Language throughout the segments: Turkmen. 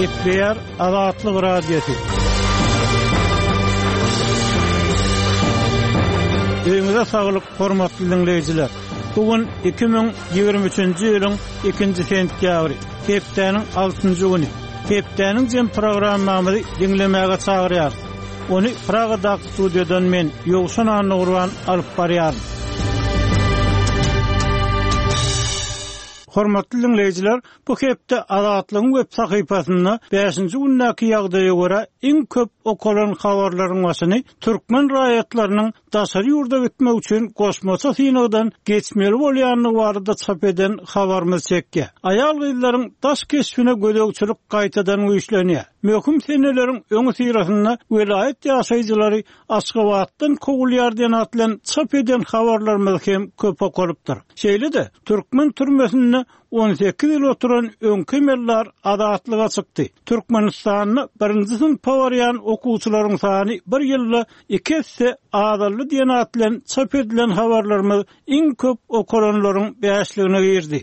Gepleýär Azatlyk Radiosy. Öýüňize saglyk, hormatly diňleýjiler! Bu gün 2023-nji ýylyň ikinji sentýabry, hepdäniň altynjy güni. Hepdäniň jem programmamyzy diňlemäge çagyrýarys. Ony Pragadaky studiýadan men, Ýowşan Annagurban alyp barýaryn. Hormatly diňleýjiler, bu hepde Azatlygyň web sahypasynda bäşinji gündäki ýagdaýa görä iň köp okalan habarlaryň başyny türkmen raýatlarynyň daşary ýurda gitmek üçin goşmaça synagdan geçmeli bolýandygy barada çap eden habarymyz çekýär. Aýal-gyzlaryň daş keşbine gözegçilik gaýtadan güýçlenýär. Möhüm seneleriň öňüsyrasynda welaýat ýaşaýjylary Aşgabatdan kowulýar diýen at bilen çap eden habarlarymyz hem köp okalypdyr. Şeýle-de, türkmen türmesinde 18 ýyl oturan öňki emeldar azatlyga çykdy. Türkmenistanda birinji synpa barýan okuwçylaryň sany bir ýylda iki esse azaldy diýen at bilen çap edilen habarlarymyz iň köp okalanlaryň bäşligine girdi.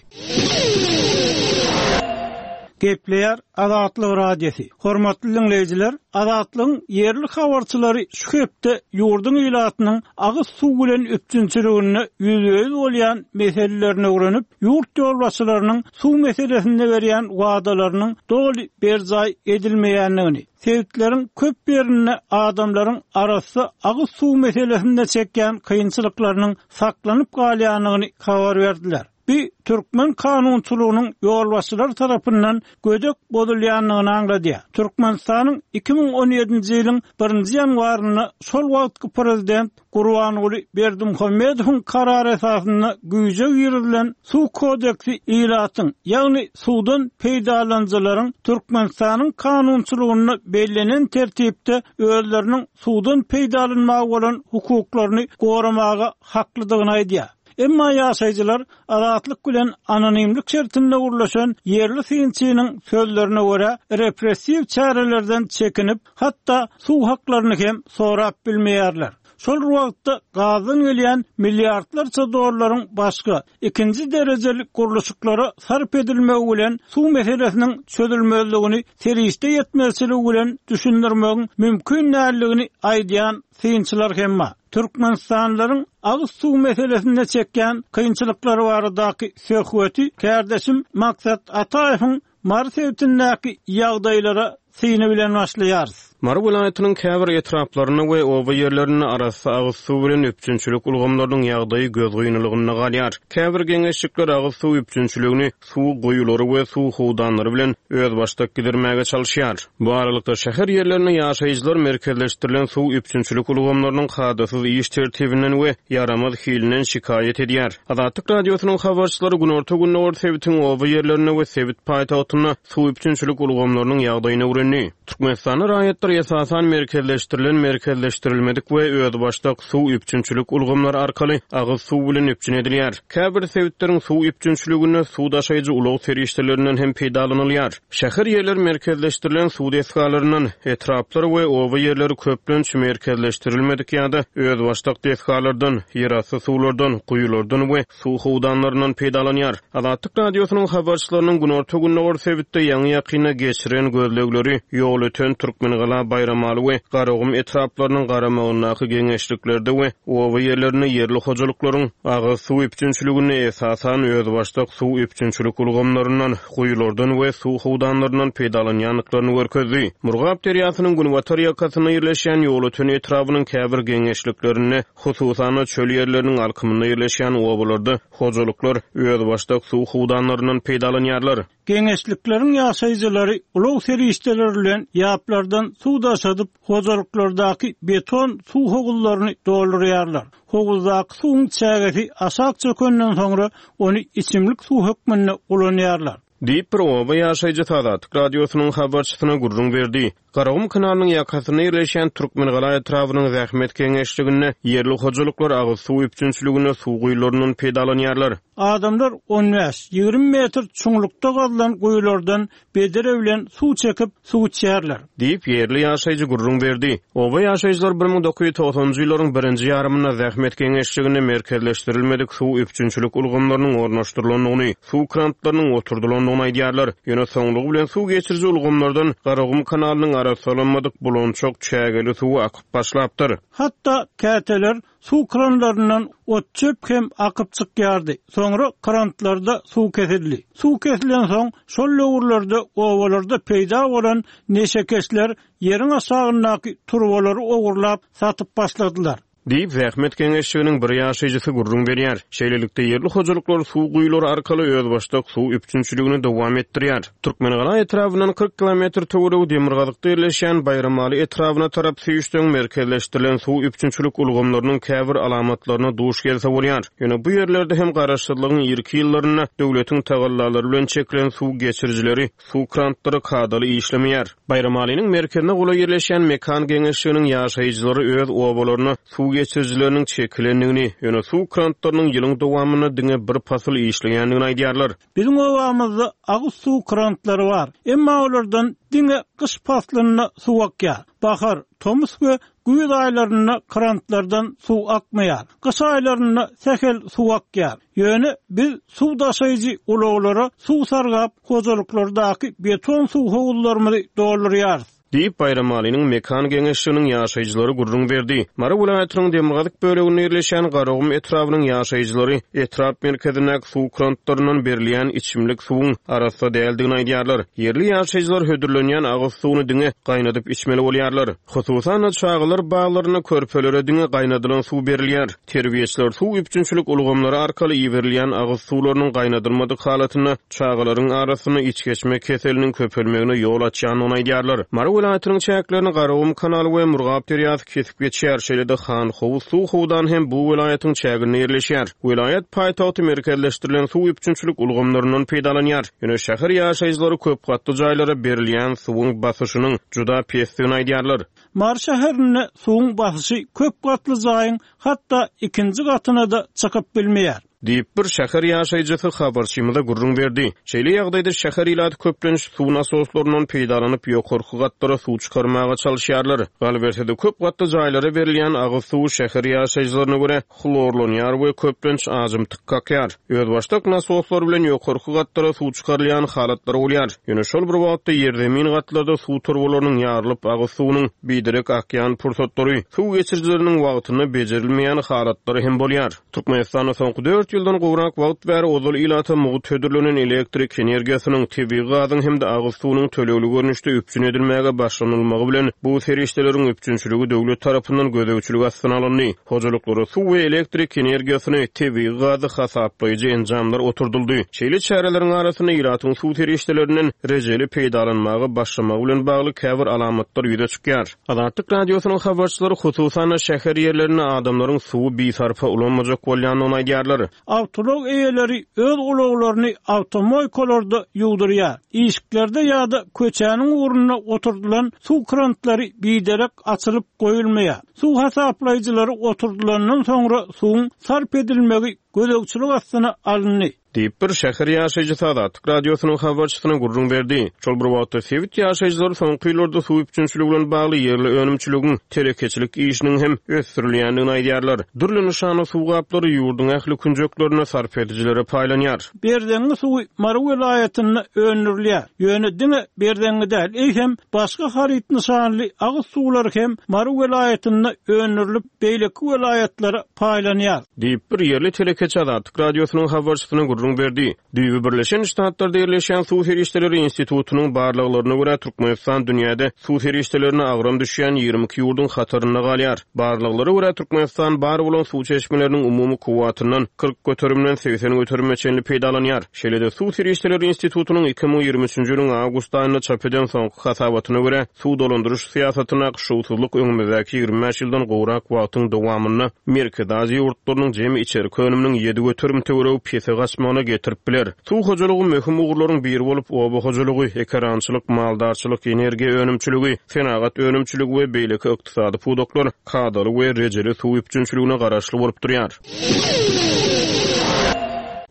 Gepleýär Azatlyk Radiosy. Hormatly diňleýjiler, Azatlygyň ýerli habarçylary şu hepde ýurduň ilatynyň agyz suw bilen üpjünçiliginde ýüzbe-ýüz bolýan meselelerini öwrenip, ýurt ýolbaşçylarynyň suw meselesinde berýän wadalarynyň doly berjaý edilmeýändigini, Sebitleriň köp ýerinde adamlaryň arassa agyz suw meselesinde çekýän kynçylyklarynyň saklanyp galýandygyny habar berdiler. Bu türkmen kanunçylygynyň ýolbaşçylar tarapyndan gödek bozulýandygyny aňladýar. Türkmenistanyň 2017-nji ýylyň birinji ýanwarynda şol wagtky prezident Gurbanguly Berdimuhamedowyň karary esasynda güýje girizilen Suw kodeksi ilatyň, ýagny suwdan peýdalanyjylaryň Türkmenistanyň kanunçylygynda bellenen tertipde özleriniň suwdan peýdalanmaga bolan hukuklaryny goramaga haklydygyny aýdýar. Emma ýaşaýjylar Azatlyk bilen anonimlik şertinde gürleşen ýerli synçynyň sözlerine görä, repressiw çärelerden çekinip, hatda suw haklaryny hem sorap bilmeýärler. Şol bir wagtda, gazdan gelýän milliardlarça dollaryň başga, ikinji derejeli gurluşyklara sarp edilmegi bilen suw meselesiniň çözülmezligini serişde ýetmezçiligi bilen düşündirmegiň mümkin däldigini aýdýan synçylar hem bar. Türkmenistanlylaryň agyz suw meselesinde çekýän kynçylyklary baradaky söhbeti kärdeşim Maksat Ataýewiň Mary sebitindäki ýagdaýlara syny bilen başlaýarys. Mary welaýatynyň käbir etraplarynda we oba ýerlerinde arassa agyz suw bilen üpjünçilik ulgamlarynyň ýagdaýy gözgynylygynda galýar. Käbir geňeşlikler agyz suw üpjünçiligini suw guýulary we suw howdanlary bilen özbaşdak gidirmäge çalyşýar. Bu aralykda, şäher ýerlerinde ýaşaýjylar merkezleşdirilen suw üpjünçilik ulgamlarynyň kadasyz iş tertibinden we ýaramaz hilinden şikaýat edýär. Azatlyk Radiosynyň habarçylary günorta-gündogar sebitiň oba ýerlerinde we sebit paýtagtynda suw üpjünçilik ulgamlarynyň ýagdaýyny öwrendi. Türkmenistanda raýatlar esasan merkezleşdirilen, merkezleşdirilmedik we özbaşdak suw üpjünçilik ulgamlary arkaly agyz suw bilen üpjün edilýär. Käbir sebitleriň suw üpjünçiliginde suw daşaýjy ulag serişdelerinden hem peýdalanylýar. Şäher ýerleri merkezleşdirilen suw desgalaryndan, etraplar we oba ýerleri köplenç merkezleşdirilmedik ýa-da özbaşdak desgalardan, ýerasty suwlardan, guýulardan we suw howdanlaryndan peýdalanýar. Azatlyk Radiosynyň habarçylarynyň günorta-gündogar sebitde ýaňy-ýakynda geçiren gözlegleri Ýolöten, Türkmengala, Baýramaly we Garagum etraplarynyň garamagyndaky geňeşliklerde we oba ýerlerinde ýerli hojalyklaryň agyz suw üpjünçiliginde esasan özbaşdak suw üpjünçilik ulgamlaryndan, guýulardan we suw howdanlaryndan peýdalanýandyklaryny görkezdi. Murgap derýasynyň günbatar ýakasynda ýerleşýän Ýolöten etrabynyň käbir geňeşliklerinde, hususan-da, çöl ýerleriniň alkymynda ýerleşýän obalarda hojalyklar özbaşdak suw howdanlaryndan peýdalanýarlar. Geňeşlikleriň ýaşaýjylary ulag serişdeleri bilen ýaplardan suw daşadyp, hojalyklardaky beton suw howuzlaryny doldurýarlar. Howuzdaky suwuň çägesi aşak çökenden soňra, ony içimlik suw hökmünde ulanýarlar. Diýip, bir oba ýaşaýjysy Azatlyk Radiosynyň habarçysyna gürrüň berdi. Garagum kanalynyň ýakasynda ýerleşýän Türkmengala etrabynyň Zähmet geňeşliginde ýerli hojalyklar agyz suw üpjünçiliginde suw guýularyndan peýdalanýarlar. Adamlar on bäş, 20 metr çuňlukda gazylan guýulardan bedre bilen suw çekip, suw içýärler. Diýip, ýerli ýaşaýjy gürrüň berdi. Oba ýaşaýjylary 1990-njy ýyllaryň birinji ýarymynda zähmet geňeşliginde merkezleşdirilmedik suw üpjünçilik ulgamlarynyň ornaşdyrylandygyny, suw krantlarynyň oturdylandygyny aýdýarlar. Ýöne soňlugy bilen suw geçiriji ulgamlardan Garagum kanalynyň arassalanmadyk bulançak çägeli suwy akyp başlapdyr. Hatda käteler Suw kranlaryndan ot-çöp hem akyp çykýardy. Soňra krantlarda suw kesildi. Suw kesilensoň, şol döwürlerde obalarda peýda bolan neşekeşler ýeriň aşagyndaky turbalary ogurlap, satyp başladylar. Diýip, zähmet geňeşliginiň bir ýaşaýjysy gürrüň berýär. Şeýlelikde, ýerli hojalyklar suw guýulary arkaly özbaşdak suw üpjünçiligini dowam etdirýär. Türkmengala etrabyndan 40 kilometr töweregi demirgazykda ýerleşýän Baýramaly etrabyna tarap süýşseň, merkezleşdirilen suw üpjünçilik ulgamlarynyň käbir alamatlaryna duş gelse bolýar. Ýöne bu ýerlerde hem garaşsyzlygyň irki ýyllarynda döwletiň tagallalary bilen çekilen suw geçirijileri, suw krantlary kadaly işlemeýär. Baýramalynyň merkezine golaý ýerleşýän Mekan geňeşliginiň ýaşaýjylary öz obalaryna suw geçirijileriniň çekilendigini, ýöne suw krantlarynyň ýylyň dowamynda diňe bir pasyl işleýändigini aýdýarlar. Biziň obamyzda agyz suw krantlary bar. Emma olardan diňe gyş paslynda suw akýar. Bahar, tomus we güýz aýlarynda krantlardan suw akmaýar. Gyş aýlarynda sähel suw akýar. Ýöne biz suw daşaýjy ulaglara suw sargap, hojalyklardaky beton suw howuzlarymyzy doldurýarys. Diýip, Baýramalynyň Mekan geňeşliginiň ýaşaýjylary gürrüň berdi. Mary welaýatynyň demirgazyk böleginde ýerleşýän Garagum etrabynyň ýaşaýjylary etrap merkezindäki suw krantlaryndan berilýän içimlik suwuň arassa däldigini aýdýarlar. Ýerli ýaşaýjylar hödürlenýän agyz suwuny diňe gaýnadyp içmeli bolýarlar. Hususan-da, çagalar baglarynda körpelere diňe gaýnadylan suw berilýär. Terbiýeçiler suw üpjünçilik ulgamlary arkaly iberilýän agyz suwlarynyň gaýnadylmadyk halatynda çagalaryň arasynda içgeçme keseliniň köpelmegine ýol açýandygyny aýdýarlar. Mary welaýatynyň çäklerini Garagum kanaly we Murgap derýasy kesip geçýär, şeýle-de Hanhowuz suw howdany hem bu welaýatyň çäginde ýerleşýär. Welaýat paýtagty merkezleşdirilen suw üpjünçilik ulgamlaryndan peýdalanýar. Ýöne şäher ýaşaýjylary köp gatly jaýlara berilýän suwuň basyşynyň juda pesdigini aýdýarlar. Mary şäherinde suwuň basyşy köp gatly jaýyň hatda ikinji gatyna-da çykyp bilmeýär. Diýip, bir şäher ýaşaýjysy habarçymyza gürrüň berdi. Şeýle ýagdaýda şäher ilaty köplenç suw nasoslaryndan peýdalanyp, ýokarky gatlara suw çykarmaga çalyşýarlar. Galyberse-de, köp gatly jaýlara berilýän agyz suwy şäher ýaşaýjylaryna görä, hlorlanýar we köplenç ajymtyk kakýar. Özbaşdak nasoslar bilen ýokarky gatlara suw çykarylýan halatlary bolýar. Ýöne şol bir wagtda ýerzemin gatlarda suw turbalarynyň ýarylyp, agyz suwunyň biderek akýan pursatlary, suw geçirijileriniň wagtynda bejerilmeýän halatlary hem bolýar. Türkmenistanda soňky dört ýyldan gowrak wagt bäri ozal ilata mugt hödürlenen elektrik energiýasynyň, tebigy gazyň hem-de agyz suwunyň tölegli görnüşde üpjün edilmäge başlanylmagy bilen, bu serişdeleriň üpjünçiligi döwlet tarapyndan gözegçilik astyna alyndy. Hojalyklara suw we elektrik energiýasyny, tebigy gazy hasaplaýjy enjamlar oturdyldy. Şeýle çäreleriň arasynda ilatyň suw serişdelerinden rejeli peýdalanmaga başlamagy bilen bagly käbir alamatlar ýüze çykýar. Azatlyk Radiosynyň habarçylary, hususan-da, şäher ýerlerinde adamlaryň suwy bisarpa ulanmajak bolýandygyny aýdýarlar. Awtoulag eýeleri öz ulaglaryny awtomoýkalarda ýuwdurýar. Işiklerde ýa-da köçäniň ugrunda oturdylan suw krantlary biderek açylyp goýulmaýar. Suw hasaplaýjylary oturdylandan soňra suwuň sarp edilmegi gözegçilik astyna alyndy. Diýip, bir şäher ýaşaýjysy Azatlyk Radiosynyň habarçysyna gürrüň berdi. Şol bir wagtda, sebit ýaşaýjylary soňky ýyllarda suw üpjünçiligi bilen bagly ýerli önümçiligiň, telekeçilik işiniň hem ösdürilýändigini aýdýarlar. Dürli nyşanly suw gaplary ýurduň ähli künjeklerinde sarp edijilere paýlanýar. Berzeňňi suwy Mary welaýatynda öndürilýär. Ýöne diňe Berzeňňi däl, eýsem, başga haryt nyşanly agyz suwlary hem Mary welaýatynda öndürilip, beýleki welaýatlara paýlanýar. Diýip, bir ýerli telekeçi Azatlyk Radiosynyň habarçysyna gürrüň berdi. Düýbi Birleşen Ştatlarda ýerleşýän Suw serişdeleri institutynyň barlaglaryna görä, Türkmenistan dünýäde suw serişdelerine agram düşýän 22 ýurduň hatarynda galýar. Barlaglara görä, Türkmenistan bar bolan suw çeşmeleriniň umumy kuwwatyndan 40 göterimden 80 göterime çenli peýdalanýar. Şeýle-de, Suw serişdeleri institutynyň 2023-nji ýylyň awgust aýynda çap eden soňky hasabatyna görä, Suw dolandyryş syýasatyndaky şowsuzlyk öňümizdäki 25 ýyldan gowrak wagtyň dowamynda Merkezi Aziýa ýurtlarynyň jemi içerki önüminiň 7% töweregi pese gaçmagyna. artmagyna getirip biler. Suw hojalygy möhüm ugurlaryň biri bolup, oba hojalygy, ekerançylyk, maldarçylyk, energiýa önümçiligi, senagat önümçiligi we beýleki ykdysady pudaklar kadaly we rejeli suw üpjünçiligine garaşly bolup durýar.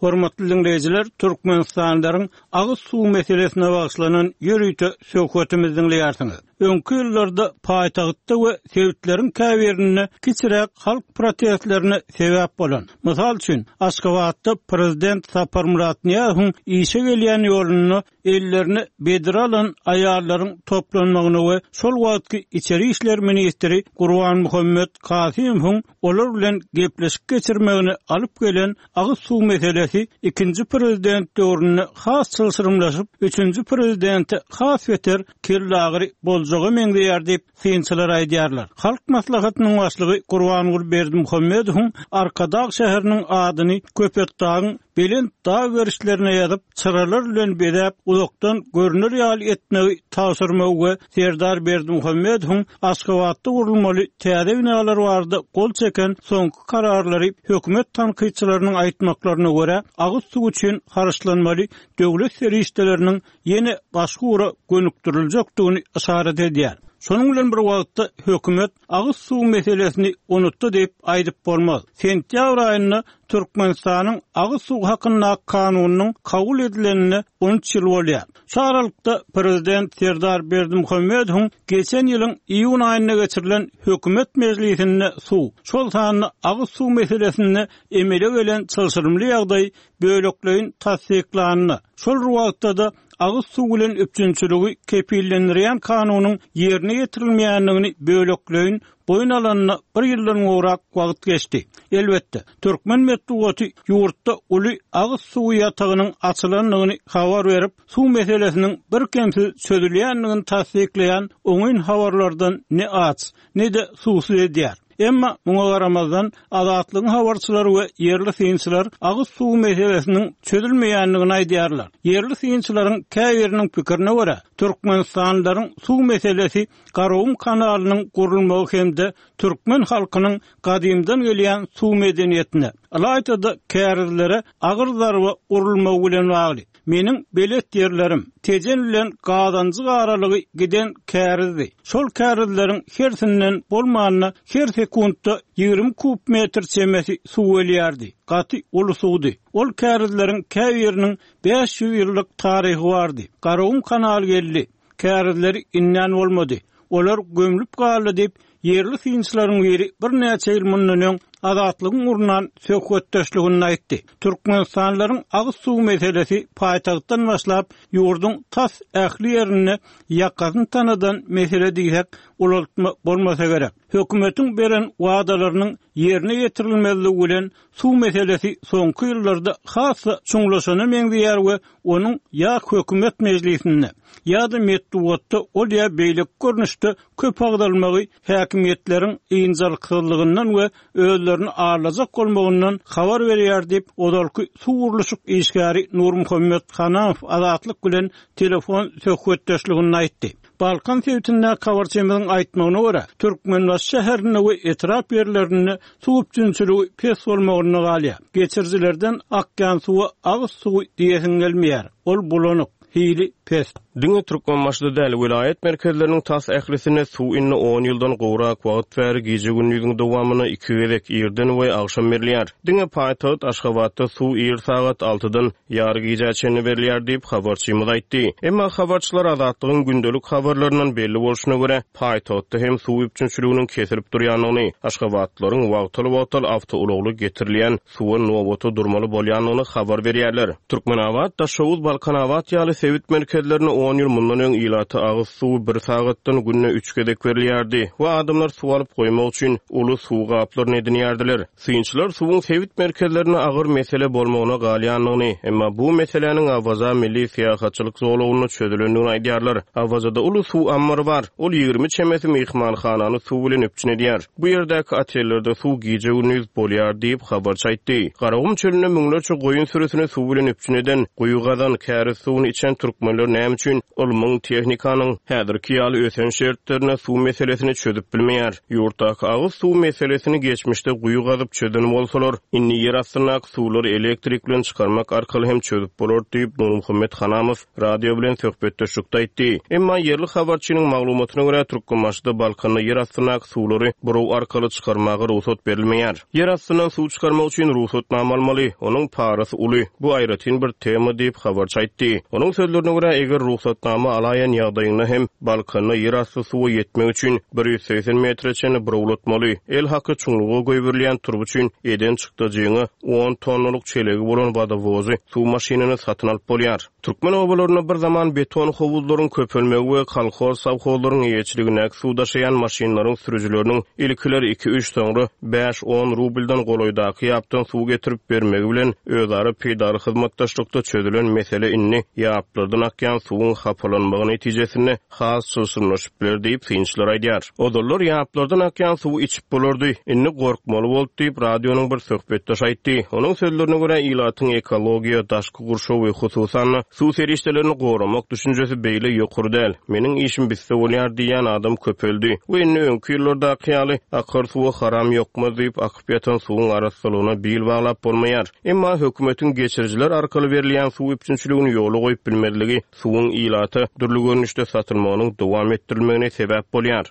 Hormatly diňleýjiler, türkmenistanlylaryň agyz suw meselesine bagyşlanan ýörite söhbetimizi diňleýärsiňiz. Öňki ýyllarda paýtagtda we sebitleriň käbirinde kiçiräk halk protestlerine sebäp bolan, mysal üçin, Aşgabatda prezident Saparmyrat Nyýazowyň işe gelýän ýolunda ellerine bedre alan aýallaryň toplanmagyna we şol wagtky içeri işler ministri Gurbanmuhammet Kasymowyň olar bilen gepleşik geçirmegine alyp gelen agyz suw meselesi ikinji prezident döwründe has çylşyrymlaşyp, üçünji prezidente has beter kellagyry boljaga meňzeýär diýip, synçylar aýdýarlar. Halk Maslahatynyň Başlygy Gurbanguly Berdimuhamedowyň Arkadag şäheriniň adyny Köpetdagyň belent dag gerişlerine ýazyp, çyralar bilen bezäp, uzakdan görner ýaly etmegi tabşyrmagy we Serdar Berdimuhamedowyň Aşgabatda gurulmaly täze binalar barada gol çeken soňky kararlary hökümet tankytçylarynyň aýtmaklaryna görä, agyz suwy üçin harçlanmaly döwlet serişdeleriniň ýene başga ugra gönükdiriljekdigini yşarat edýär. Şonuň bilen bir wagtda, hökümet agyz suwy meselesini unutdy diýip aýdyp bolmaz. Sentýabr aýynda Türkmenistanyň Agyz suwy hakyndaky kanunynyň kabul edilenine 13 ýyl bolýar. Şu aralykda, prezident Serdar Berdimuhamedowyň geçen ýylyň iýun aýynda geçirilen hökümet mejlisinde suw, şol sanda agyz suw meselesinde emele gelen çylşyrymly ýagdaý bölekleýin tassyklanyna, şol bir wagtda-da agyz suw bilen üpjünçiligi kepillendirýän kanunyň ýerine ýetirilmeýändigini bölekleýin boýun alanyna bir ýyldan gowrak wagt geçdi. Elbetde, türkmen metbugaty ýurtda uly agyz suwy ýatagynyň açylandygyny habar berip, suw meselesiniň birkemsiz çözülýändigini tassyklaýan oňyn habarlardan ne aç, ne-de suwsuz edýär. Emma muňa garamazdan, Azatlygyň habarçylary we ýerli synçylar agyz suwy meselesiniň çözülmeýändigini aýdýarlar. Ýerli synçylaryň käbiriniň pikirine görä, türkmenistanlylaryň suw meselesi Garagum kanalynyň gurulmagy hem-de türkmen halkynyň gadymdan gelýän suw medeniýetine, ylaýta-da kärizlere agyr zarba urulmagy bilen bagly. Meniň belet ýerlerim, Tejen bilen Gazanjyk aralygy giden kärizdi. Şol kärizleriň hersinden bolmanda her sekuntda 20 kub metr çemesi suw gelýärdi. Gaty uly suwdy. Ol kärizleriň käbiriniň 500 ýyllyk taryhy bardy. Garagum kanaly geldi. Kärizleri indän bolmady. Olar gömlüp galdy diýip, ýerli synçylaryň biri birnäçe ýyl mundan öň Azatlygyň gurnan söhbetdeşliginde aýtdy. Türkmenistanlylaryň agyz suwy meselesi paýtagtdan başlap, ýurduň tas ähli ýerinde ýakasyny tanadan mesele diýsek, ulaltma bolmasa gerek. Hökümetiň beren wadalarynyň ýerine ýetirilmezligi bilen suw meselesi soňky ýyllarda has-da çuňlaşana meňzeýär we onuň ýa hökümet mejlisinde, ýa-da metbugatda ol ýa beýleki görnüşde köp agzalmagy häkimiýetleriň ynjalyksyzlygyndan we özlerini aldajak bolmagyndan habar berýär diýip, ozalky suw gurluşyk işgäri Nurmuhammet Hanamow Azatlyk bilen telefon söhbetdeşliginde aýtdy. Balkan sebitindäki habarçymyzyň aýtmagyna görä, Türkmenbaşy şäherinde we etrap ýerlerinde suw üpjünçiligi pes bolmagynda galýar. Geçirijilerden akýan suwa agyz suwy diýesiň gelmeýär. Ol bulanyk, hili pes. Diňe Türkmenbaşyda däl, welaýat merkezleriniň tas ählisinde suw indi on ýyldan gowrak wagt bäri gije-gündiziň dowamynda iki gezek, irden we agşam berilýär. Diňe paýtagt Aşgabatda suw ir sagat altydan ýary gijä çenli berilýär diýip, habarçymyz aýtdy. Emma habarçylar Azatlygyň gündelik habarlaryndan belli bolşuna görä, paýtagtda hem suw üpjünçiliginiň kesilip durýandygyny, aşgabatlylaryň wagtal-wagtal awtoulagly getirilýän suwa nobata durmaly bolýandygyny habar berýärler. Türkmenabat, Daşoguz, Balkanabat ýaly sebit merkezlerinde on ýyl mundan öň ilata agyz suwy bir sagatdan günde üç gezek berilýärdi we adamlar suw alyp goýmak üçin uly suw gaplaryny edinýärdiler. Synçylar suwuň sebit merkezlerinde agyr mesele bolmagyna galýandygyny, emma bu meseläniň Awaza milli syýahatçylyk zolagynda çözülendigini aýdýarlar. Awazada uly suw ammary bar. Ol 20 çemesi myhmanhanany suw bilen üpjün edýär. Bu ýerdäki otellerde suw gije-gündiz bolýar diýip, habarçy aýtdy. Garagum çölünde müňlerçe goýun sürüsini suw bilen üpjün eden, guýy gazan, käriz suwuny içen türkmenler näme üçin? üçin ylmyň, tehnikanyň häzirki ýaly ösen şertlerinde suw meselesini çözüp bilmeýär. Ýurtdaky agyz suw meselesini geçmişde guýy gazyp çözen bolsalar, indi ýer astyndaky suwlary elektrik bilen çykarmak arkaly hem çözüp bolar diýip, Nurmuhammet Hanamow radio bilen söhbetdeşlikde aýtdy. Emma ýerli habarçynyň maglumatyna görä, Türkmenbaşyda, Balkanda ýer astyndaky suwlary buraw arkaly çykarmaga rugsat berilmeýär. Ýer astyndan suw çykarmak üçin rugsatnama almaly, onuň parasy uly, bu aýratyn bir tema diýip, habarçy aýtdy. Onuň sözlerine görä, eger rugsatnama alaýan ýagdaýyňda hem Balkanda ýerasty suwa ýetmek üçin 180 metre çenli burawlatmaly, el haky çuňluga goýberilýän turba üçin eden çykdajyňa on tonnalyk çelegi bolan wodowozy, suw maşynyny satyn alyp bolýar. Türkmen obalarynda bir zaman beton howuzlaryň köpelmegi we kolhoz-sowhozlaryň eýeçiligindäki suw daşaýan maşynlaryň sürüjileriniň ilkiler iki-üç, soňra bäş-on rubldan golaýdaky ýapdan suw getirip bermegi bilen özara peýdaly hyzmatdaşlykda çözülen mesele indi ýaplardan akýan suwuň hapalanmagy netijesinde has çylşyrymlaşyp biler diýip, synçylar aýdýar. Ozallar ýaplardan akýan suwy içip bolardy, indi gorkmaly boldy diýip, radionyň bir söhbetdeşi aýtdy. Onuň sözlerine görä, ilatyň ekologiýa, daşky gurşaw we hususan-da, suw serişdelerini goramak düşünjesi beýle ýokary däl. Meniň işim bitse bolýar diýýän adam köpeldi we indi öňki ýyllardaky ýaly, akar suwa haram ýokmaz diýip, akyp ýatan suwuň arassalygyna bil baglap bolmaýar. Emma hökümetiň geçirijiler arkaly berilýän suw üpjünçiligini ýola goýup bilmezligi suwuň ilata dürli görnüşde satylmagynyň dowam etdirilmegine sebäp bolýar.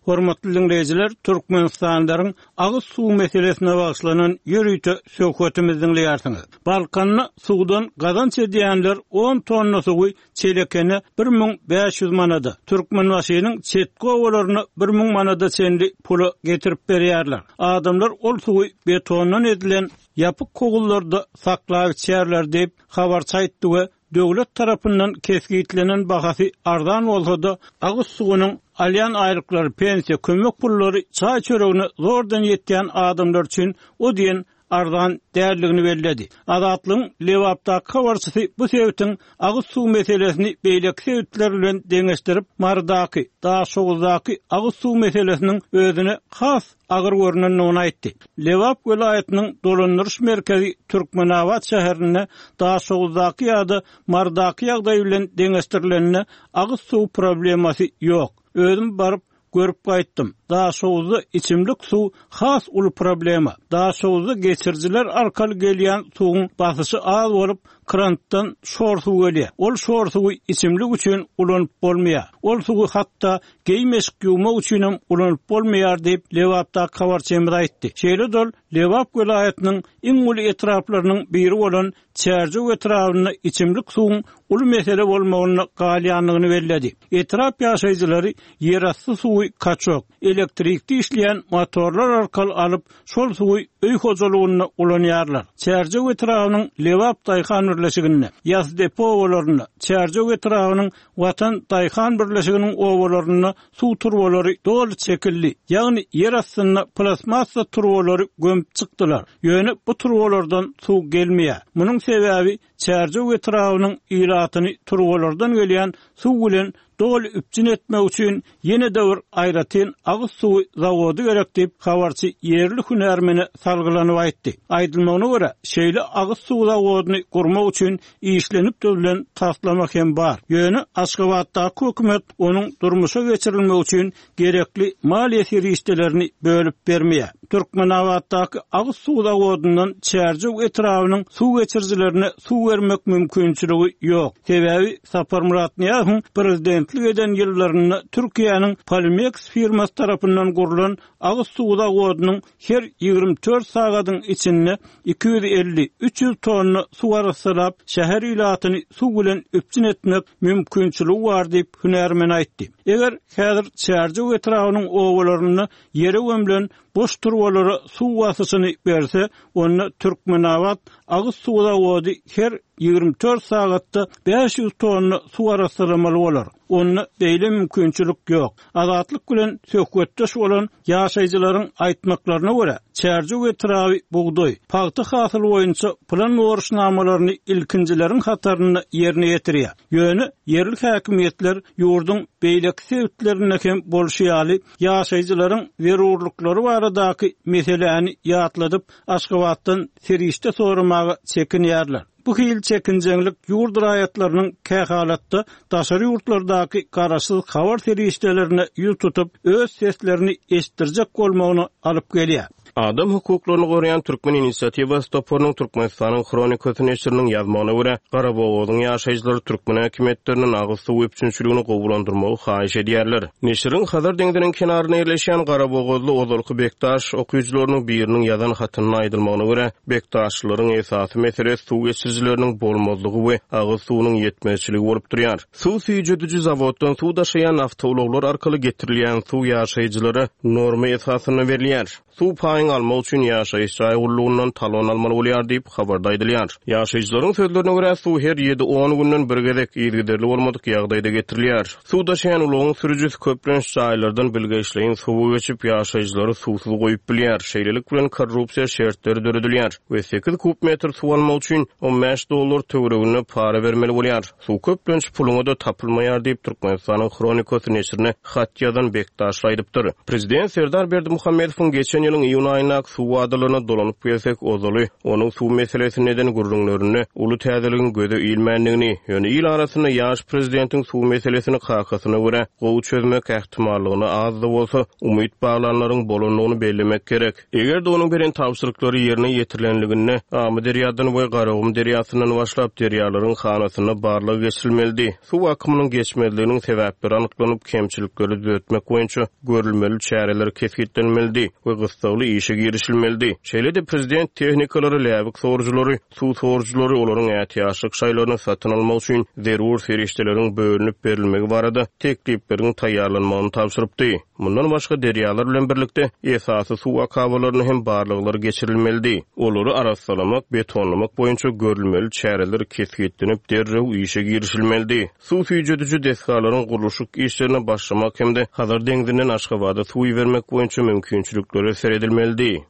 Hormatly diňleýjiler, türkmenistanlylaryň agyz suw meselesine bagyşlanan ýörite söhbetimizi diňleýärsiňiz. Balkanda suwdan gazanç edýänler on tonna suwy Çelekene 1500 manada, Türkmenbaşynyň çetki obalaryna 1000 manada çenli pula getirip berýärler. Adamlar ol suwy betondan edilen ýapyk howuzlarda saklap içýärler diýip, habarçy aýtdy we döwlet tarapyndan kesgitlenen bahasy arzan bolsa-da, agyz suwunyň alýan aýlyklary, pensiýa, kömek pullary çaý-çöregine zordan ýetýän adamlar üçin o diýen arzan däldigini belledi. Azatlygyň Lebapdaky habarçysy bu sebitiň agyz suw meselesini beýleki sebitler bilen deňeşdirip, Marydaky, Daşoguzdaky agyz suw meselesiniň özüne has agyr görnendigini aýtdy. Lebap welaýatynyň dolandyryş merkezi Türkmenabat şäherinde Daşoguzdaky ýa-da Marydaky ýagdaý bilen deňeşdirilende agyz suw problemasy ýok. Özüm baryp, görüp gaýtdym. Daşoguzda içimlik suw has uly problema. Daşoguzda geçirijiler arkaly gelýän suwuň basyşy az bolup, krantdan şor suw gelýär. Ol şor suwy içimlik üçin ulanyp bolmaýar. Ol suwy hatda geýim-eşik ýuwmak üçinem ulanyp bolmaýar diýip, Lebapdaky habarçymyz aýtdy. Şeýle-de ol Lebap welaýatynyň iň uly etraplarynyň biri bolan Çärjew etrabynda içimlik suwuň uly mesele bolmagynda galýandygyny belledi. Etrap ýaşaýjylary ýerasty suwy kaçok, elektrikde işleýän motorlar arkaly alyp, şol suwy öý hojalygynda ulanýarlar. Çärjew etrabynyň Lebap daýhan birleşiginde, Ýasdepe obalarynda, Çärjew etrabynyň Watan daýhan birleşiginiň obalarynda suw turbalary doly çekildi, ýagny ýer astynda plastmassa turbalary gömüp çykdylar. Ýöne bu turbalardan suw gelmeýär. Munuň sebäbi Çärjew etrabynyň ilatyny turbalardan gelýän suw bilen doly üpjün etmek üçin ýene-de bir aýratyn agyz suwy zawody gerek diýip, habarçy ýerli hünärmene salgylanyp aýtdy. Aýdylmagyna görä, şeýle agyz suw zawodyny gurmak üçin işlenip düzülen taslama hem bar. Ýöne Aşgabatdaky hökümet onuň durmuşa geçirilmegi üçin gerekli maliýe serişdelerini bölüp bermeýär. Türkmenabatdaky agyz suw zawodyndan Çärjew etrabynyň suw geçirijilerine suw bermek mümkinçiligi ýok. Sebäbi Saparmyrat Nyýazowyň prezidentlik eden ýyllarynda Türkiýäniň Polimeks firmasy tarapyndan gurlan agyz suw zawodynyň her 24 sagadyň içinde 250, 300 tonna suw arassalap, şäher ilatyny suw bilen üpjün etmek mümkinçiligi bar diýip, hünärmen aýtdy. Eger häzir Çärjew etrabynyň obalarynda ýere gömlen boş turbalara suw basyşyny berse, onda Türkmenabat agyz suw zawody her 24 sagatda 500 tonna suw arassalamaly bolar. Onda beýle mümkinçilik ýok. Azatlyk bilen söhbetdeş bolan ýaşaýjylaryň aýtmaklaryna görä, Çärjew etraby bugdaý, pagta hasyly boýunça plan borçnamalaryny ilkinjileriň hatarynda ýerine ýetirýär. Ýöne ýerli häkimiýetler ýurduň beýleki sebitlerinde hem bolşy ýaly, ýaşaýjylaryň zerurlyklary baradaky meseläni ýatladyp, Aşgabatdan serişde soramaga çekinýärler. Bu hili çekinjeňlik ýurt raýatlarynyň kähalatda daşary ýurtlardaky garaşsyz habar serişdelerine ýüz tutup, öz seslerini eşitdirjek bolmagyna alyp gelýär. Adam hukuklaryny goraýan Türkmen inisiatiwasy toparynyň Türkmenistanyň Hronikasy neşiriniň ýazmagyna görä, Garabogazyň ýaşaýjylary türkmen häkimiýetlerinden agyz suwy üpjünçiligini gowulandyrmagy haýyş edýärler. Neşiriň Hazar deňziniň kenarynda ýerleşýän Garabogazly ozalky Bekdaş okyjylarynyň biriniň ýazan hatynda aýdylmagyna görä, Bekdaşlylaryň esasy meselesi suw geçirijileriniň bolmazlygy we agyz suwunyň ýetmezçiligi bolup durýar. Suw süýjediji zawoddan suw daşaýan awtoulaglar arkaly getirilýän suw ýaşaýjylara norma esasynda berilýär. Suw paýyňy almak üçin ýaşaýyş jaý gullugyndan talon almaly bolýar diýip, habarda aýdylýar. Ýaşaýjylaryň sözlerine görä, suw her ýedi-on günden bir gezek yzygiderli bolmadyk ýagdaýda getirilýär. Suw daşaýan ulagyň sürüjisi köplenç jaýlardan bilgeşleýin suwy geçip, ýaşaýjylary suwsuz goýup bilýär. Şeýlelik bilen, korrupsiýa şertleri döredilýär we sekiz kub metr suw almak üçin 15 dollar töwereginde para bermeli bolýar. Suw köplenç puluňa-da tapylmaýar diýip, Türkmenistanyň Hronikasy neşirine hat ýazan Bekdaşly aýdypdyr. Prezident Serdar Berdimuhamedowyň geçen ýylyň iýun aýyndaky suw wadalaryna dolanyp gelsek, ozaly onuň suw meselesinde eden gürrüňlerinde uly täzeligiň göze ilmändigini, ýöne il arasynda ýaş prezidentiň suw meselesini kakasyna görä gowy çözmek ähtimallygyna az-da bolsa umyt baglanlaryň bolandygyny bellemek gerek. Eger-de onuň beren tabşyryklary ýerine ýetirilenliginde, Amyderýadan we Garagum derýasyndan başlap derýalaryň hanasynda barlag geçirilmelidi. Suw akymynyň geçmezliginiň sebäpleri anyklanyp, kemçilikleri düzetmek boýunça görülmeli çäreler kesgitlenmelidi we gyssagly işe girişilmelidi. Şeýle-de prezident tehnikalary, läbik sorujylary, suw sorujylary, olaryň ätiýaçlyk şaýlaryny satyn almak üçin zerur serişdeleriň bölünip berilmegi barada teklipleriň taýýarlanmagyny tabşyrypdy. Mundan başga, derýalar bilen birlikde, esasy suw akabalaryna hem barlaglar geçirilmelidi. Olary arassalamak, betonlamak boýunça görülmeli çäreler kesgitlenip, derrew işe girişilmelidi. Suw süýjediji desgalaryň gurluşyk işlerine başlamak hem-de Hazar deňzinden Aşgabada suw ibermek boýunça mümkinçiliklere seredilmelidi.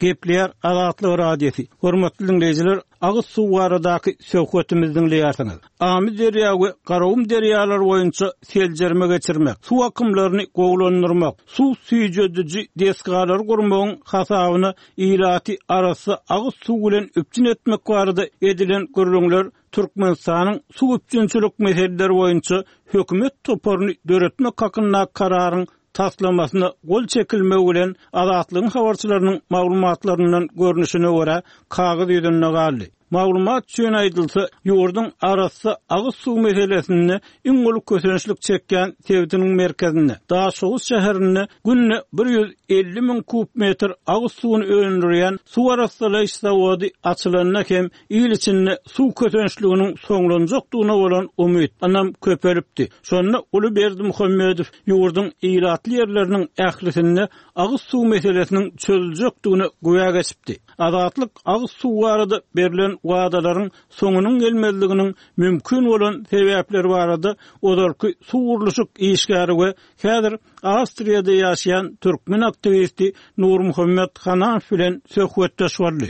Gepleýär Azatlyk Radiosy. Hormatly diňleýjiler, agyz suw baradaky söhbetimizi diňleýärsiňiz. Amyderýa we Garagum derýalary boýunça seljerme geçirmek, suw akymlaryny gowulandyrmak, suw süýjediji desgalary gurmagyň hasabyna ilaty arassa agyz suw bilen üpjün etmek barada edilen gürrüňler Türkmenistanyň suw üpjünçilik meseleleri boýunça hökümet toparyny döretmek hakyndaky kararyň taslamasyna gol çekilmegi bilen Azatlygyň habarçylarynyň maglumatlaryndan görnüşine görä, kagyz ýüzünde galdy. Maglumat üçin aýdylsa, ýurduň arassa agyz suw meselesinde iň uly kösençlik çekýän sebitiniň merkezinde, Daşoguz şäherinde günde 150 müň kub metr agyz suwuny öndürýän suw arassalaýyş zawody açylanda hem il içinde suw kösençliginiň soňlanjakdygyna bolan umyt, ynam köpelipdi. Şonda uly Berdimuhamedow ýurduň ilatly ýerleriniň ählisinde agyz suw meselesiniň çözüljekdigine güwä geçipdi. Azatlyk agyz suw barada berlen wadalaryň soňunyň gelmezliginiň mümkin bolan sebäpleri barada ozalky suw gurluşyk işgäri we häzir Awstriýada ýaşaýan türkmen aktiwisti Nurmuhammet Hananow bilen söhbetdeş boldy.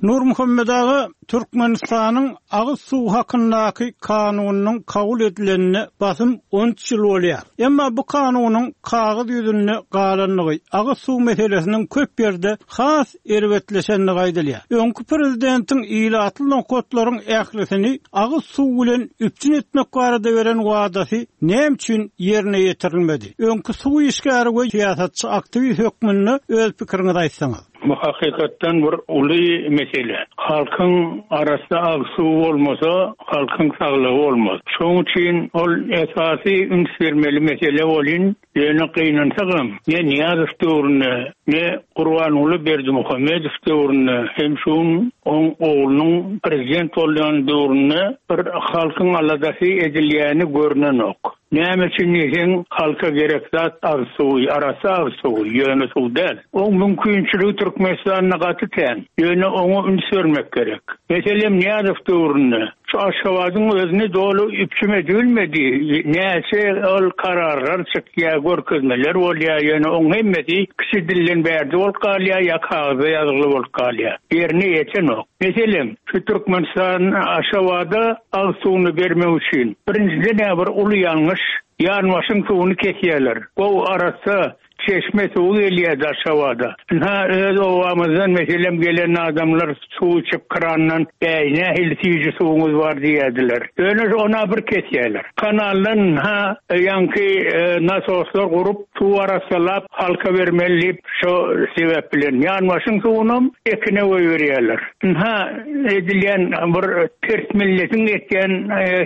Nurmuhammet aga, Türkmenistanyň agyz suwy hakyndaky kanunynyň kabul edilenine basym 13 ýyl bolýar. Emma bu kanunyň kagyz ýüzünde galandygy, agyz suw meselesiniň köp ýerde has erbetleşendigi aýdylýar. Öňki prezidentiň ilatly nokatlaryň ählisini agyz suw bilen üpjün etmek barada beren wadasy näme üçin ýerine ýetirilmedi? Öňki suw işgäri we syýasatçy aktiwist hökmünde öz pikiriňizi aýtsaňyz. Bu hakykatdan bir uly mesele. Halkyň arassa agyz suwy bolmasa, halkyň saglygy bolmaz. Şoň üçin ol esasy üns bermeli mesele bolyn, ýöne gynansagam, ne Nyýazow döwründe, ne Gurbanguly Berdimuhamedow döwründe hem şu gün oň oglunyň prezident bolýan döwründe bir halkyň aladasy edilýäni görnenok. Näme üçin diýseň, halka gerek zat agyz suwy, arassa agyz suwy, ýöne suw däl. Oň mümkinçiligi Türkmenistanda gaty kän, ýöne oňa üns bermek gerek. Meselem, Nyýazow döwründe şu Aşgabadyň özüni doly üpjüm edibilmedi, näçe ol kararlar çykýar, görkezmeler bolýar, ýöne oň hemmesi kiçi dilden bärde bolup galýar ýa kagyzda ýazgyly bolup galýar, ýerine ýetenok. Meselem, şu Türkmenistan Aşgabada agyz suwuny bermek üçin, birinjiden-ä bir uly ýalňyş, ýanbaşyň suwuny kesýärler. Gowy, arassa. Çeşme suwy gelýärdi Aşgabada. Ynha, öz obamyzdan, meselem, gelen adamlar suw içip krandan, Äý, nähili süýji suwuňyz bar diýýärdiler. Ýöne ona bir kesýärler. Kanaldan ynha, ýaňky nasoslar gurup, suw arassalap, halka bermeli diýip, şo sebäp bilen ýanbaşyň suwunam ekine goýberýärler. Ynha, edilýän bir ters milletiň etýän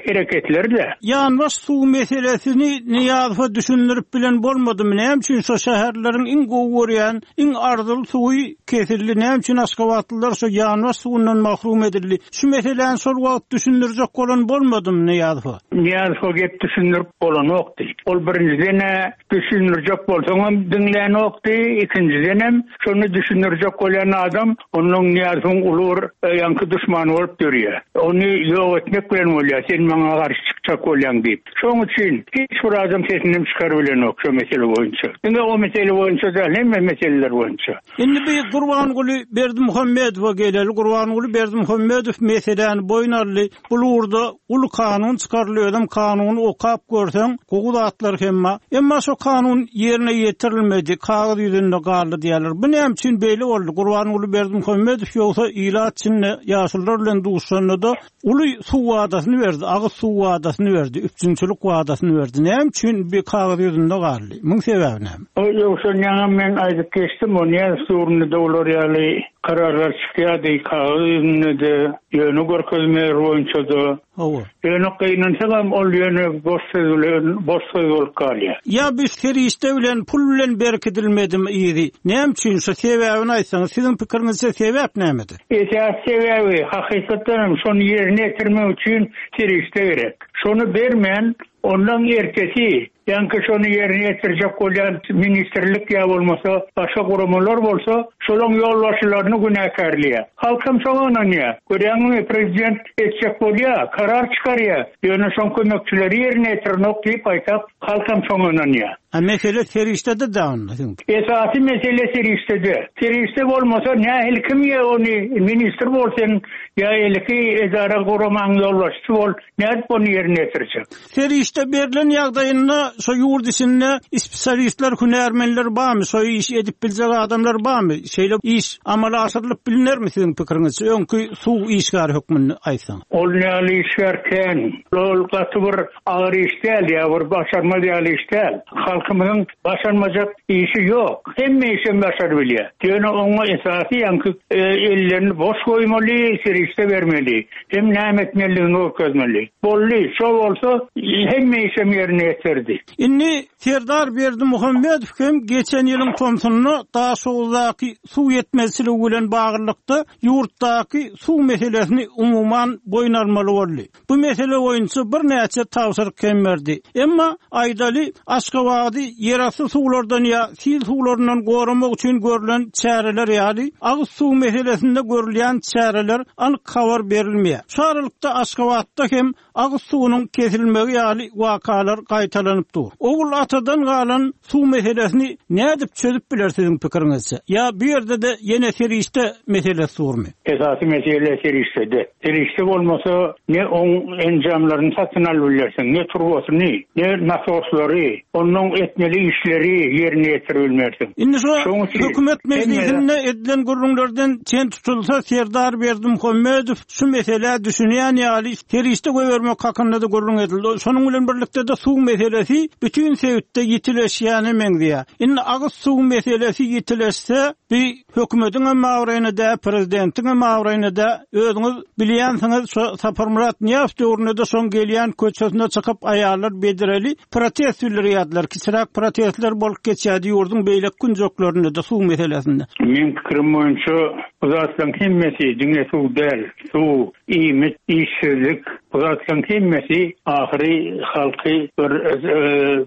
hereketleri-dä. Ýanbaş suw meselesini Nyýazowa düşündirip bilen bolmadymy? Näme üçin şo şäherlileriň iň gowy görýän, iň arzyly suwy kesildi? Näme üçin aşgabatlylar şo ýanbaş suwundan mahrum edildi? Şu meseläni şol wagt düşündirjek bolan bolmadymy Nyýazowa? Nyýazowa gep düşündirip bolanokdy. Ol birinjiden-ä Düşündirjek bolsaňam diňlänokdy, ikinjidenem, şony düşündirjek bolýan adam ondan Nyýazowyň uly bir ýaňky duşmany bolup dörýär. Ony ýok etmek bilen bolýar, sen maňa garşy çykjak bolýaň diýip. Şoň üçin hiç bir adam sesinem çykarybilenok şo mesele boýunça. Diňe o mesele boýunça däl, hemme meseleler boýunça. Indi bir Gurbanguly Berdimuhamedowa geleli. Gurbanguly Berdimuhamedow meseläni boýun aldy. Bul ugurda uly kanun çykaryldy, özem kanuny okap görseň, gowy zatlar hem bar. Emma şo kanun ýerine ýetirilmedi, kagyz ýüzünde galdy diýýärler. Bu näme üçin beýle boldy? Gurbanguly Berdimuhamedow ýogsa ilat içinde ýaşulular bilen duşanda-da uly suw wadasyny berdi, agyz suw wadasyny berdi, üpjünçilik wadasyny berdi. Näme üçin bi kagyz ýüzünde galdy? Muň sebäbi näme? Ýogsa ýaňam men aýdyp geçdim, o nädip döwründe-de olar ýaly kararlar çykýardy, kagyz ýüzünde-de, Ýöne görkezmeler boýunça-da. Hawa. Ýöne gynansagam ol ýöne boş söz bilen boş söz bolup galýar. Ýa bu serişde bilen pul bilen berkidilmedimi yzy? Näme üçin şu sebäbini aýtsaňyz siziň pikiriňizçe sebäp nämede? Esasy sebäbi hakykatdan hem şony ýerine ýetirmek üçin serişde gerek. Şony bermän ondan ertesi Ýaňky şony ýerine ýetirjek bolýan ministrlik ýa bolmasa başga guramalar bolsa, şolaň ýolbaşçylaryny günäkärleýär. Halkam şoňa ynanýar. Görýäňmi, prezident etjek bolýar, karar çykarýar, ýöne şoň kömekçileri ýerine ýetirenok diýip gaýtap, halkam şoňa ynanýar. A mesele serişdede da onda siziň. Esasy mesele serişdede. Serişde bolmasa nähili kim ýa ony ministr bol sen ýa eliki edara guramaň ýolbaşçysy bol nädip ony ýerine ýetirjek. Serişde berlen ýagdaýynda şo ýurt içinde spesialistler, hünärmenler barmy, şo işi edip biljek adamlar barmy? Şeýle iş amala aşyrylyp bilinermi siziň pikiriňizçe, öňki suw işgäri hökmünde aýtsaňyz? Ol ýaly işgär kän. Ol gaty bir agyr iş däl ýa bir başarmaz ýaly iş däl. Halkymyzyň başarmajak işi ýok. Hemme işem başarybilýär. Ýöne oňa esasy ýaňky ellerini boş goýmaly, serişde bermeli. Hem näme etmelidigini görkezmeli. Boldy, şo bolsa hemme işem ýerine ýeterdi. Indi Serdar Berdimuhamedow hem geçen ýylyň tomsunda Daşoguzdaky suw ýetmezçiligi bilen baglylykda ýurtdaky suw meselesini umuman boýun almaly boldy. Bu mesele boýunça birnäçe tabşyryk hem berdi. Emma, aýdaly, Aşgabady ýerasty suwlardan ýa sil suwlaryndan goramak üçin görlen çäreler ýaly, agyz suw meselesinde görülýän çäreler anyk habar berilmeýär. Şu aralykda Aşgabatda hem agyz suwunyň kesilmegi ýaly wakalar gaýtalanyp dur. Ogul atadan galan suw meselesini nädip çözüp biler siziň pikiriňizçe? Ýa bu ýerde-de ýene serişde meselesi durmy? Esasy mesele serişdede. Serişde bolmasa ne oň enjamlaryny satyn alyp bilersiň, ne turbasyny, ne nasoslary, onnoň etmeli işleri ýerine ýetirip bilmersiň. Indi şu hökümet mejlisinde edilen gürrüňlerden çen tutulsa, Serdar Berdimuhamedow şu meselä düşünýän ýaly, serişde goýbermek hakynda-da gürrüň edildi. Şonuň bilen birlikde-de suw meselesi bütin sebitde ýitileşýäne meňzeýär. Indi agyz suw meselesi ýitileşse, bi Hökümetiňem abraýyna dä, prezidentiňem abraýyna dä, özüňiz bilýänsiňiz, şo Saparmyrat Nyýazow döwründe-de şoň gelýän köçesine çykyp aýallar bedreli protest bildirýärdiler, kiçiräk protestler bolup geçýärdi ýurduň beýleki künjeklerinde-de suw meselesinde. Meň pikirim boýunça bu zatlaryň hemmesi diňe suw däl, suw, iýmit, işsizlik bu zatlaryň hemmesi ahyry halky bir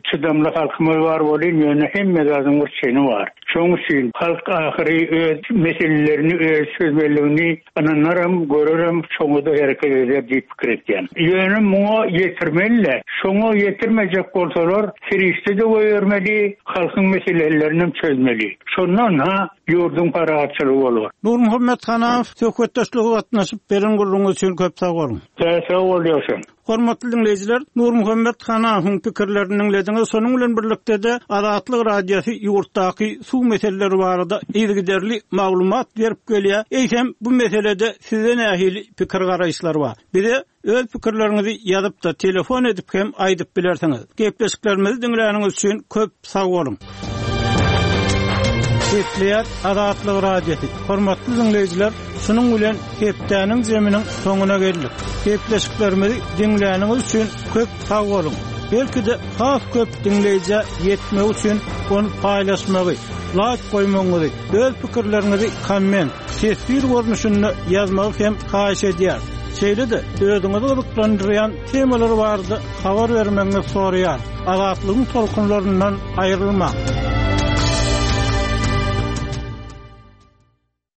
çydamly halkymyz bar welin ýöne hemme zadyň bir çeni bar. Şonuň üçin halk ahyry öz meselelerini öz çözmelidigini ynanaram, görerem, şoňa-da hereket eder diýip pikir etýän. Ýöne muňa ýetirmeli-dä. Şoňa ýetirmejek bolsalar, serişde-de goýbermeli, halkyň meselelerinem çözmeli. Şonda ynha, ýurduň parahatçylygy bolar. Nurmuhammet Hanamow söhbetdeşlige gatnaşyp, beren gürrüňiňiz üçin köp sag boluň. Sag bol, Ýowşan. Hormatly diňleýjiler, Nurmuhammet Hanahowyň pikirlerini diňlediňiz. Şonuň bilen birlikde-de Azatlyk Radiosy ýurtdaky suw meseleleri barada yzygiderli maglumat berip gelýär. Eýsem, bu meselede sizde nähili pikir-garaýyşlar bar? Bize öz pikirleriňizi ýazyp-da, telefon edip hem aýdyp bilersiňiz. Gepleşiklerimizi diňläniňiz üçin köp sag boluň! Gepleýär Azatlyk Radiosy. Hormatly diňleýjiler, şunuň bilen hepdäniň zeminiň soňuna geldik. Gepleşiklerimizi diňläniňiz üçin köp sag boluň! Belki-de has köp diňleýjä ýetmegi üçin ony paýlaşmagy, laýk goýmagyňyzy, öz pikirleriňizi komment, teswir görnüşinde ýazmagy hem haýyş edýäris. Şeýle-de özüňizi gyzyklandyrýan temalar barada habar bermegiňizi soraýarys. Azatlygyň tolkunlaryndan aýrylmaň!